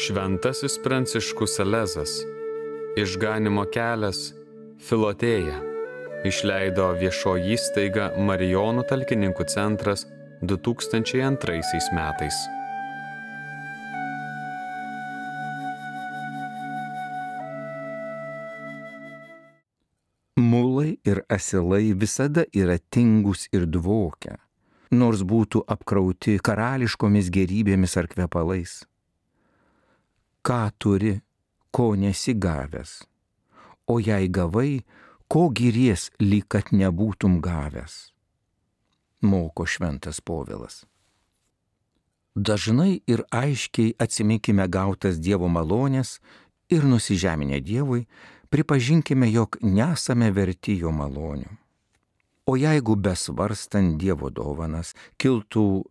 Šventasis Pranciškus Salezas, Išganymo kelias, Filotėja, išleido viešoji įstaiga Marijonų talkininkų centras 2002 metais. Mulai ir asilai visada yra tingus ir dvokia, nors būtų apkrauti karališkomis gėrybėmis ar kvepalais. Ką turi, ko nesi gavęs, o jei gavai, ko giries, lyg kad nebūtum gavęs, moko šventas Povilas. Dažnai ir aiškiai atsiminkime gautas Dievo malonės ir nusižeminę Dievui, pripažinkime, jog nesame verti jo malonių. O jeigu besvarstant Dievo dovanas kiltų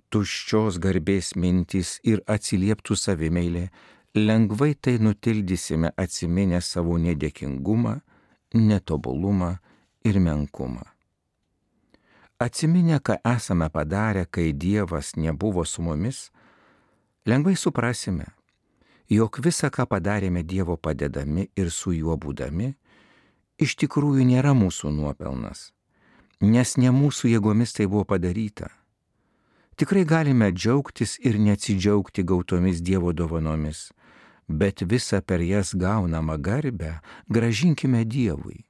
tuščios garbės mintys ir atsilieptų savimeilė, lengvai tai nutildysime atsiminę savo nedėkingumą, netobulumą ir menkumą. Atsiminę, ką esame padarę, kai Dievas nebuvo su mumis, lengvai suprasime, jog visa, ką padarėme Dievo padedami ir su juo būdami, iš tikrųjų nėra mūsų nuopelnas, nes ne mūsų jėgomis tai buvo padaryta. Tikrai galime džiaugtis ir neatsidžiaugti gautomis Dievo dovanomis, bet visą per jas gaunamą garbę grąžinkime Dievui,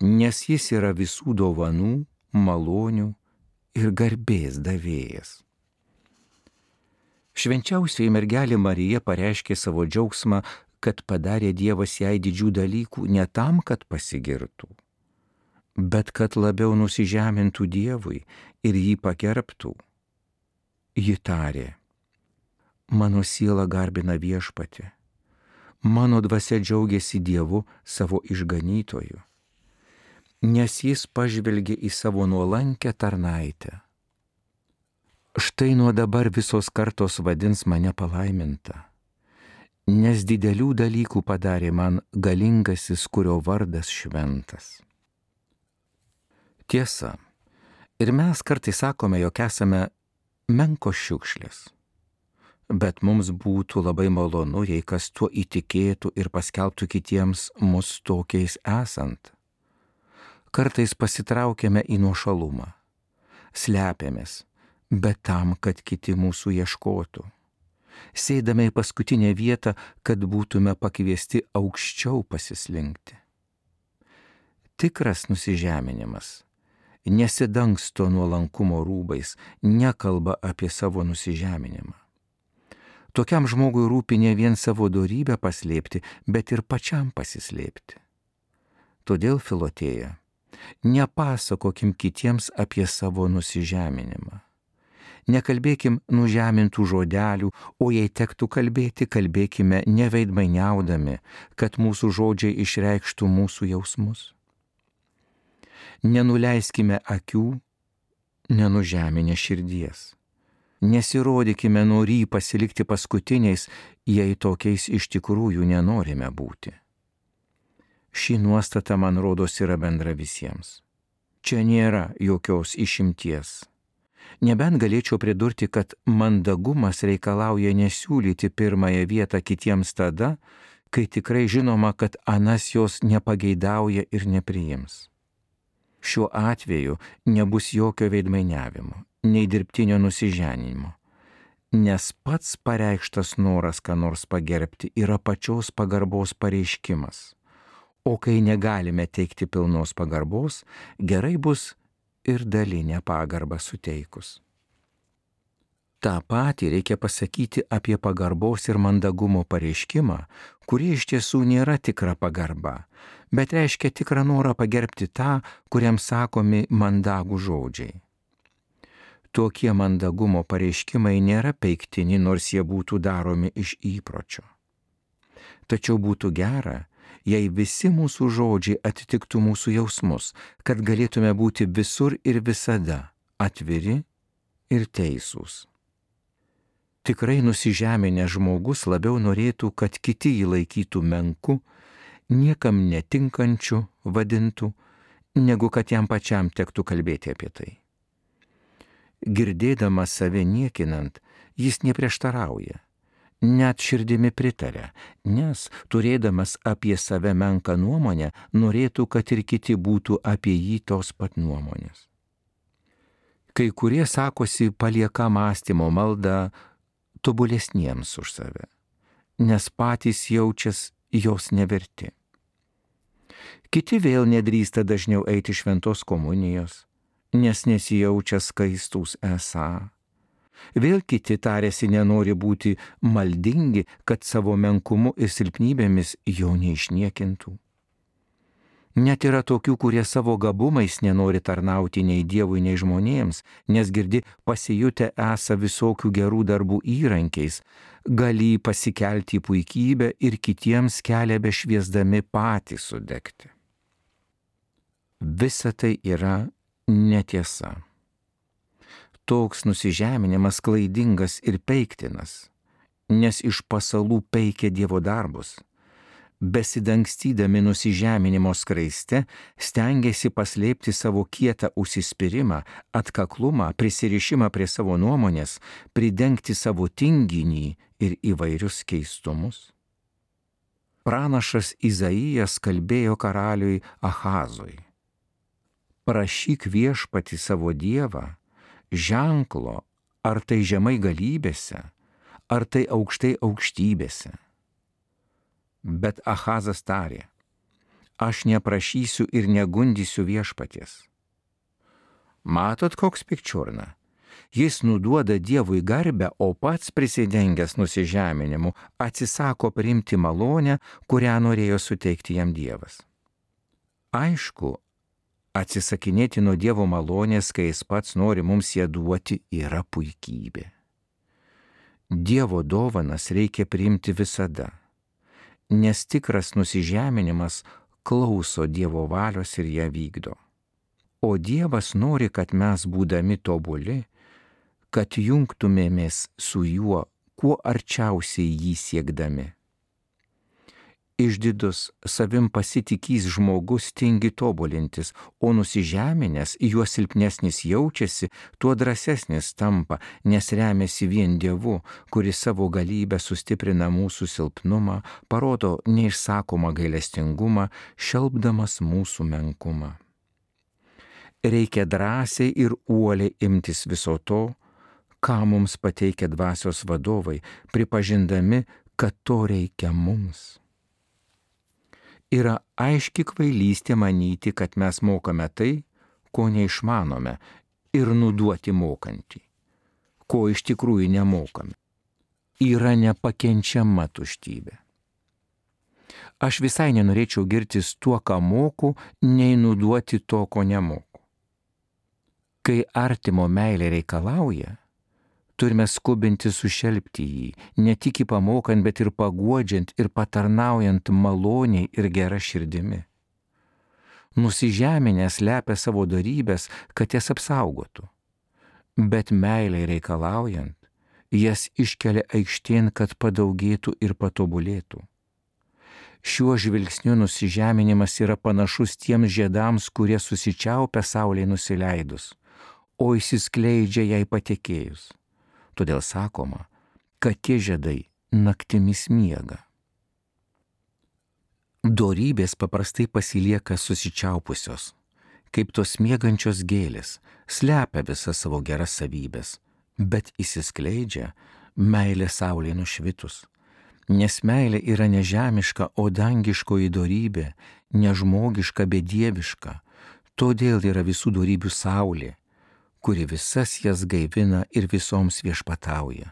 nes jis yra visų dovanų, malonių ir garbės davėjas. Švenčiausioji mergelė Marija pareiškė savo džiaugsmą, kad padarė Dievas jai didžių dalykų ne tam, kad pasigirtų, bet kad labiau nusižemintų Dievui ir jį pagerbtų. Ji tarė: mano siela garbina Viešpatį, mano dvasia džiaugiasi Dievu savo išganytoju, nes jis pažvelgė į savo nuolankę tarnaitę. Štai nuo dabar visos kartos vadins mane palaiminta, nes didelių dalykų padarė man galingasis, kurio vardas šventas. Tiesa, ir mes kartais sakome, jog esame menkos šiukšlės, bet mums būtų labai malonu, jei kas tuo įtikėtų ir paskelbtų kitiems mus tokiais esant. Kartais pasitraukiame į nuošalumą, slepiamės, bet tam, kad kiti mūsų ieškotų. Sėdame į paskutinę vietą, kad būtume pakviesti aukščiau pasislinkti. Tikras nusižeminimas nesidangsto nuolankumo rūbais, nekalba apie savo nusižeminimą. Tokiam žmogui rūpi ne vien savo dorybę paslėpti, bet ir pačiam pasislėpti. Todėl, Filotėja, nepasakokim kitiems apie savo nusižeminimą. Nekalbėkim nužemintų žodelių, o jei tektų kalbėti, kalbėkime neveidmainiaudami, kad mūsų žodžiai išreikštų mūsų jausmus. Nenuleiskime akių, nenužeminę širdies. Nesirodykime norį pasilikti paskutiniais, jei tokiais iš tikrųjų nenorime būti. Ši nuostata, man rodos, yra bendra visiems. Čia nėra jokios išimties. Nebent galėčiau pridurti, kad mandagumas reikalauja nesiūlyti pirmąją vietą kitiems tada, kai tikrai žinoma, kad anas jos nepageidauja ir nepriims. Šiuo atveju nebus jokio veidmainiavimo, nei dirbtinio nusiženinimo, nes pats pareikštas noras ką nors pagerbti yra pačios pagarbos pareiškimas, o kai negalime teikti pilnos pagarbos, gerai bus ir dalinę pagarbą suteikus. Ta patį reikia pasakyti apie pagarbos ir mandagumo pareiškimą, kurie iš tiesų nėra tikra pagarba, bet reiškia tikrą norą pagerbti tą, kuriam sakomi mandagų žodžiai. Tokie mandagumo pareiškimai nėra peiktini, nors jie būtų daromi iš įpročio. Tačiau būtų gera, jei visi mūsų žodžiai atitiktų mūsų jausmus, kad galėtume būti visur ir visada atviri ir teisūs. Tikrai nusižeminęs žmogus labiau norėtų, kad kiti jį laikytų menku, niekam netinkančiu vadintų, negu kad jam pačiam tektų kalbėti apie tai. Girdėdamas save niekinant, jis neprieštarauja, net širdimi pritaria, nes turėdamas apie save menką nuomonę, norėtų, kad ir kiti būtų apie jį tos pat nuomonės. Kai kurie sakosi palieka mąstymo maldą tobulesniems už save, nes patys jaučias jos neverti. Kiti vėl nedrįsta dažniau eiti šventos komunijos, nes nesijaučia skaistūs esą. Vėl kiti tarėsi nenori būti maldingi, kad savo menkumu ir silpnybėmis jo neišniekintų. Net yra tokių, kurie savo gabumais nenori tarnauti nei Dievui, nei žmonėms, nes girdi pasijutę esą visokių gerų darbų įrankiais, gali pasikelti į puikybę ir kitiems kelią bešviesdami patys sudegti. Visa tai yra netiesa. Toks nusižeminimas klaidingas ir peiktinas, nes iš pasalų peikia Dievo darbus. Besidangstydami nusižeminimo skraiste, stengiasi paslėpti savo kietą užsispyrimą, atkaklumą, prisirišimą prie savo nuomonės, pridengti savo tinginį ir įvairius keistumus. Pranašas Izaijas kalbėjo karaliui Ahazui: prašyk viešpatį savo Dievą ženklo, ar tai žemai galybėse, ar tai aukštai aukštybėse. Bet Ahazas tarė: aš neprašysiu ir negundysiu viešpaties. Matot, koks pikčiurna? Jis nuduoda Dievui garbę, o pats prisidengęs nusižeminimu atsisako priimti malonę, kurią norėjo suteikti jam Dievas. Aišku, atsisakinėti nuo Dievo malonės, kai jis pats nori mums ją duoti, yra puikybė. Dievo dovanas reikia priimti visada, nes tikras nusižeminimas klauso Dievo valios ir ją vykdo. O Dievas nori, kad mes, būdami tobuli, kad jungtumėmės su juo, kuo arčiausiai jį siekdami. Išdidus, savim pasitikys žmogus tingi tobulintis, o nusižeminęs, juo silpnesnis jaučiasi, tuo drąsesnis tampa, nes remiasi vien Dievu, kuris savo galybę sustiprina mūsų silpnumą, parodo neišsakomą gailestingumą, šelpdamas mūsų menkumą. Reikia drąsiai ir uoliai imtis viso to, ką mums pateikia dvasios vadovai, pripažindami, kad to reikia mums. Yra aiški kvailystė manyti, kad mes mokame tai, ko neišmanome, ir nuduoti mokantį, ko iš tikrųjų nemokame. Yra nepakenčiama tuštybė. Aš visai nenorėčiau girtis tuo, ką moku, nei nuduoti to, ko nemoku. Kai artimo meilė reikalauja, turime skubinti sušelpti jį, ne tik jį pamokant, bet ir paguodžiant ir patarnaujant maloniai ir gera širdimi. Nusižeminęs slepia savo dorybės, kad jas apsaugotų, bet meiliai reikalaujant, jas iškelia aikštėn, kad padaugėtų ir patobulėtų. Šiuo žvilgsniu nusižeminimas yra panašus tiems žiedams, kurie susičiaupia saulei nusileidus, o išsiskleidžia jai patekėjus. Todėl sakoma, kad tie žiedai naktimis miega. Dorybės paprastai pasilieka susičiaupusios, kaip tos miegančios gėlės, slepia visas savo geras savybės, bet išsiskleidžia meilė saulė nušvitus. Nes meilė yra nežemiška, o dangiškoji dorybė, nežmogiška, bet dieviška. Todėl yra visų dorybių saulė, kuri visas jas gaivina ir visoms viešpatauja.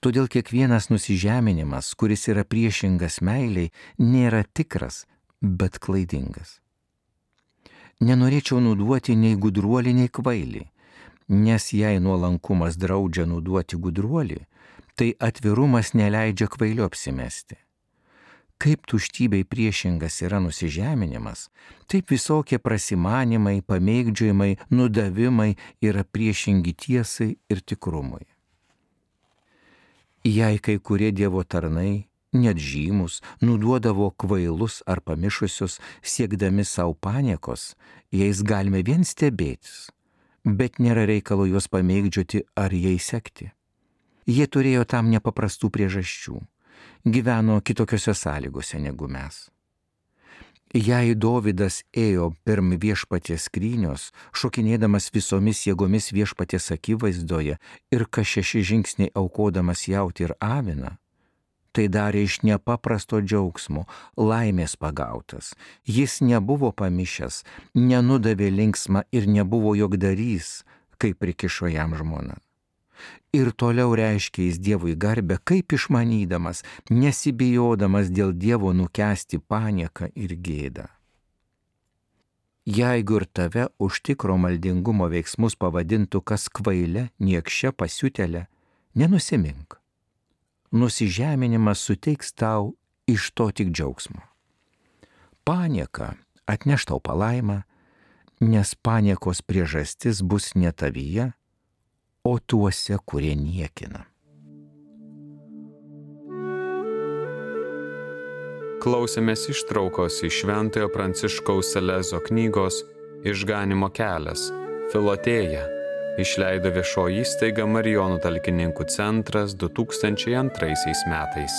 Todėl kiekvienas nusižeminimas, kuris yra priešingas meiliai, nėra tikras, bet klaidingas. Nenorėčiau nuduoti nei gudruolį, nei kvailį, nes jei nuolankumas draudžia nuduoti gudruolį, tai atvirumas neleidžia kvailiu apsimesti. Kaip tuštybei priešingas yra nusižeminimas, taip visokie prasimanimai, pamėgdžiojimai, nudavimai yra priešingi tiesai ir tikrumui. Jei kai kurie Dievo tarnai, net žymus, nuduodavo kvailus ar pamišusius, siekdami savo paniekos, jais galime vien stebėtis, bet nėra reikalo juos pamėgdžioti ar jais sekti. Jie turėjo tam nepaprastų priežasčių. Gyveno kitokiose sąlygose negu mes. Jei Dovydas ėjo pirm viešpaties skrynios, šokinėdamas visomis jėgomis viešpaties akivaizdoje ir kas 6 žingsniai aukodamas jautį ir aviną, tai darė iš nepaprasto džiaugsmo, laimės pagautas. Jis nebuvo pamišęs, nenudavė linksmą ir nebuvo jogdarys, kaip prikišo jam žmona. Ir toliau reiškia jis Dievui garbę, kaip išmanydamas, nesibijodamas dėl Dievo nukęsti panieką ir gėdą. Jeigu ir tave už tikro maldingumo veiksmus pavadintų kas kvaile, niekščia, pasiutėlė, nenusimink. Nusižeminimas suteiks tau iš to tik džiaugsmo. Panieka atneš tau palaimą, nes paniekos priežastis bus ne tavyje, o tuose, kurie niekina. Klausėmės ištraukos iš Šventojo Pranciškaus Salezo knygos Išganymo kelias – Filotėja, išleido viešoji įstaiga Marijonų talkininkų centras 2002 metais.